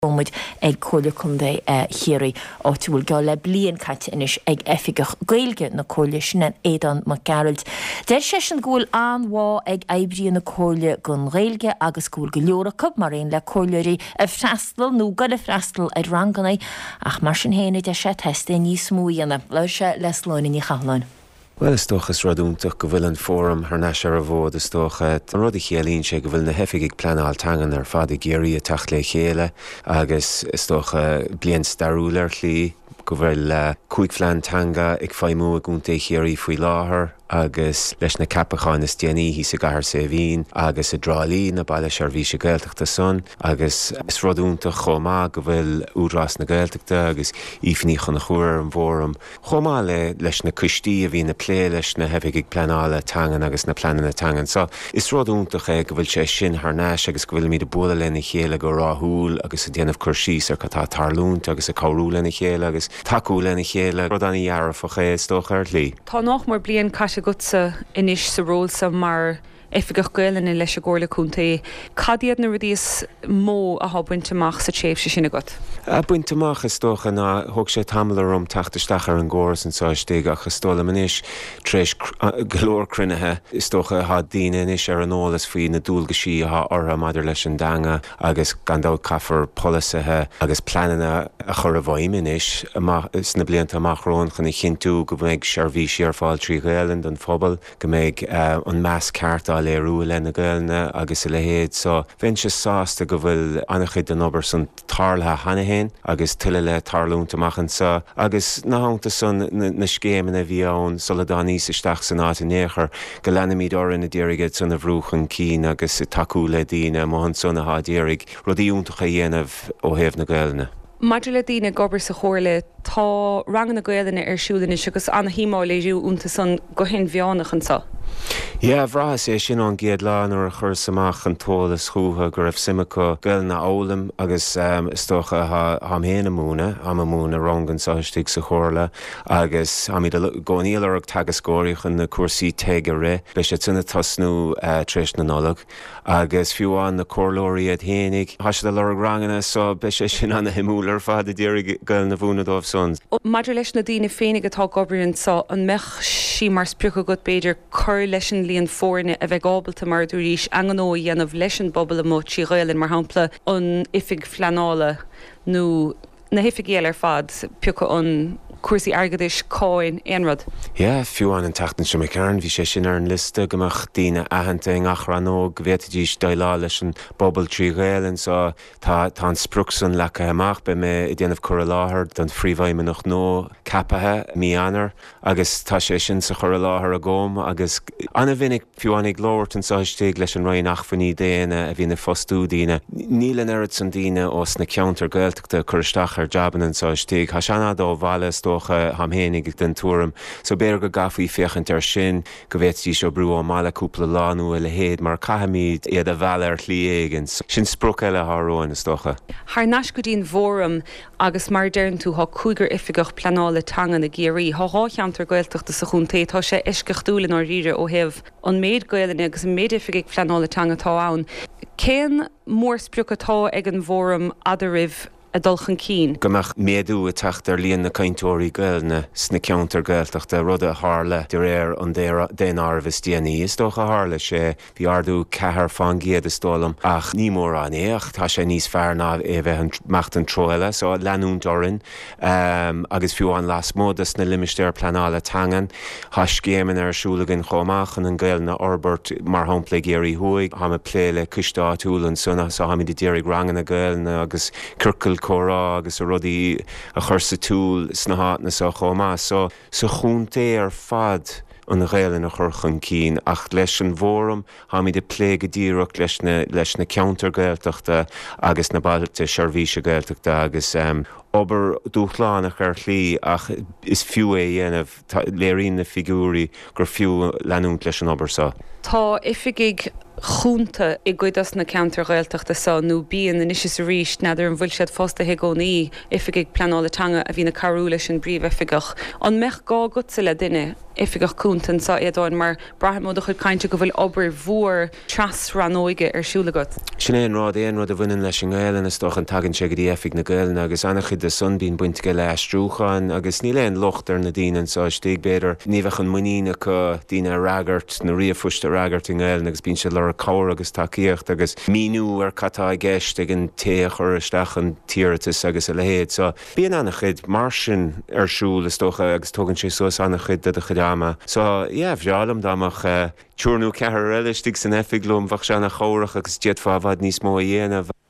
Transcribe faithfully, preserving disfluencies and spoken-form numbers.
Muid ag Comhairle Contae Chiarraí áit a bhfuil geall le bliain caite anois ag oifigeach Gaeilge na Comhairle sin Aodán Mac Gearailt. Deir seisean go bhfuil an-bhá ag oibrithe na Comhairle don Ghaeilge agus go bhfuil go leor acu mar aon le comhairleoirí ag freastal nó ag goil ag freastal ar ranganna ach mar sin féin deir sé teastaíonn níos mó a dhéanamh. Labhair sé le Sláine Ní Chathalláin. Well is dócha is rud iontach go bhfuil an fóram thar n-ais ar an bhfód is dócha an rud a chiallaíonn sé go bhfuil na hoifigigh pleanála teangan ar fad i gCiarraí ag teacht le chéile agus is dócha bliain stairiúil ar shlí go bhfuil uh, cúig phlean teanga ag feidhmiú i gContae Chiarraí faoi láthair agus leis na ceapacháin is déanaí sa gCathair Saidhbhín agus i dTrá Lí na Bailte Seirbhíse Gaeltachta san agus is rud iontach chomh maith go bhfuil Údarás na Gaeltachta agus Aoife Ní Chonchúir ar an bhfóram. Chomh maith le leis na coistí a bhíonn ag plé leis na hoifigigh pleanála teangan agus na pleananna teangan. So is rud iontach é go bhfuil sé sin thar n-ais agus go bhfuilimid ag bualadh lena chéile go ráithiúil agus ag déanamh cur síos ar cad atá ag tarlúint agus ag cabhrú lena chéile agus tacú lena chéile rud an-dearfach é is dócha ar shlí. Tá nach mór bliain caite agatsa anois sa ról seo mar oifigeach Gaelainne leis an gComhairle Contae. Cad iad na rudaí is mó atá bainte amach sa tréimhse sin agat? Bainte amach is dócha ná thóg sé tamall orm teacht isteach ar an gcóras anseo istigh ach is dóigh liom anois tar éis go leor cruinnithe is dócha tá daoine anois ar an eolas faoi na dualgaisí atá orthu maidir leis an dteanga agus gan dabht caithfear polasaithe agus pleananna a chur i bhfeidhm anois sna blianta amach romhainn chun a chinntiú go mbeidh seirbhísí ar fáil trí Ghaelainn don phobal, go mbeidh uh, an meas ceart á léiriú le na Gaelainne agus a leithéid, so bheinnse sásta go bhfuil an-chuid den obair san tarlaithe cheana féin agus tuilleadh le tarlúint amach anseo agus ina theannta san na, na scéimeanna a bhí ann sula dtánas isteach san áit in aon chor go leanfaimid orainn ag iarraidh iad san a bhrú chun cinn agus tacú le daoine amuigh ansan atá ag iarraidh rudaí iontacha a dhéanamh ó thaobh na Gaelainne. Maidir le daoine ag obair sa chomhairle tá ranganna Gaelainne ar siúl anois agus an-shuim á léiriú iontu san go hinmheánach anseo. Ja bhraitheas é sin ón gcéad lá nuair a chuireas amach an t-eolas chucu go raibh suim acu Gaelainn a fhoghlaim agus um, is dócha táim féin ag múineadh ag múineadh rang anseo istigh sa chomhairle agus táimid i gcónaí ag lorg teagascóirí chun na cúrsaí TEG a rith, Beidh sé sin ag tosnú uh, tar éis na Nollag. agus fiú amháin na comhairleoirí iad féinig. Tá siad ag lorg ranganna so beidh sé sin an-shuimiúil ar fad ag iarraidh Gaelainn a mhúineadh dóibh san. Maidir leis na daoine féinig atá ag obair anseo an mbeadh sé mar sprioc agat b'fhéidir cur leis an líon foirne a bheith ábalta mar dúís an-ghnó a dhéanamh leis an bpobal amuigh trí Ghaelainn mar shampla an oifig phleanála nó na hoifigí eile ar fad pioca an cúrsaí airgeadais cáin aon rud. Ja, fiú an an tseachtain seo McCarn, bhí sé sin ar an liosta go mbeadh daoine aitheanta i ngach rannóg go bhféadfaidís déileáil leis an bpobal trí Ghaelainn so tá tá an sprioc san leagtha amach beidh mé ag déanamh cur i láthair don phríomhfheidhmeannach nua ceaptha mí Eanáir agus tá sé sin sa chur i láthair agam agus an-mhinic fiú ag labhairt anseo istigh leis an Roinn Acmhainní Daonna a bhíonn ag fostú daoine. Níl an oiread san daoine ós na ceantair Gaeltachta cur isteach ar jabanna anseo istigh, Tá sé an-fhada ó bhaile dócha táim féinig den tuairim, so b'fhéidir go gcaithfí féachaint ar sin go bhféadfaidís oibriú ón mbaile cúpla lá nó a leithéid mar caithfimid iad a mhealladh ar shlí éigin, sin sprioc eile atá romhainn is dócha. Thar n-ais go dtí'n bhfóram agus mar deireann tú tá cúigear oifigeach pleanála teangan i gCiarraí, Tá dhá cheantar Gaeltachta sa chontae tá sé eisceachtúil i ndáiríre ó thaobh an méid Gaelainne agus an méid oifigigh pleanála teanga atá ann. Cén mórsprioc atá ag an bhfóram eadraibh a dul chun cinn. Go mbeadh méadú ag teacht ar líon na cainteoirí Gaelainne sna ceantair Gaeltachta rud a tharla de réir an daonáirimh is déanaí is dócha tharla sé bhí ardú ceathair faoin gcéad is dóigh liom ach ní mórán é ach tá sé níos fearr ná é bheith ag imeacht an treo eile so leanúint orainn um, agus fiú amháin lasmuigh de na limistéir pleanála teangan Tá scéimeanna ar siúl againn chomh maith chun an Ghaelainn a fhorbairt mar shampla i gCiarraí Thuaidh tá mé ag plé le coiste áitiúil ansan so táimid ag iarraidh ranganna Gaelainne agus ciorcal comhrá agus a rudaí a chur sa tsiúl sna háiteanna seo chomh maith so sa chontae ar fad an Ghaelainn a chur chun cinn ach leis an bhfóram táimid ag plé go díreach leis na leis na ceantair Gaeltachta agus na bailte seirbhíse Gaeltachta agus um, obair dúshlánach ar shlí ach is fiú é dhéanamh léiríonn na figiúirí gur fiú leanúint leis an obair seo. Tá oifigigh chúnta i gcuid dos na ceantair Ghaeltachta seo nó bíonn anois is arís n'fheadar an bhfuil siad fostaithe i gcónaí oifigigh pleanála teanga a bhíonn ag cabhrú leis an bpríomhoifigeach. An mbeadh gá agatsa le duine Oifigeach Cúnta anseo, Aodáin, mar braithim ó do chuid cainte go bhfuil obair mhór tras-rannóige ar siúl agat. Sin é an rud, aon rud a bhaineann leis an nGaelainn, is dócha, tagann sé go dtí Oifig na Gaelainne agus an-chuid de san bíonn baint aige le aistriúchán agus níl aon locht ar na daoine anseo istigh, b'fhéidir, ní bheadh an muinín acu daoine a fhreagairt, na ríomhphoist a fhreagairt i nGaelainn agus bíonn siad ag lorg cabhair agus tacaíocht agus míniú ar cad tá i gceist ag an té a chuir isteach an t-iarratas agus a leithéid. So, bíonn an-chuid mar sin ar siúl is dócha agus tógann sé suas an-chuid de do chuid ama. So, yeah, bhreá liom dá mbeadh triúr nó ceathrar eile istigh san oifig liom, bheadh sé an-chabhrach agus d'fhéadfá i bhfad níos mó a dhéanamh.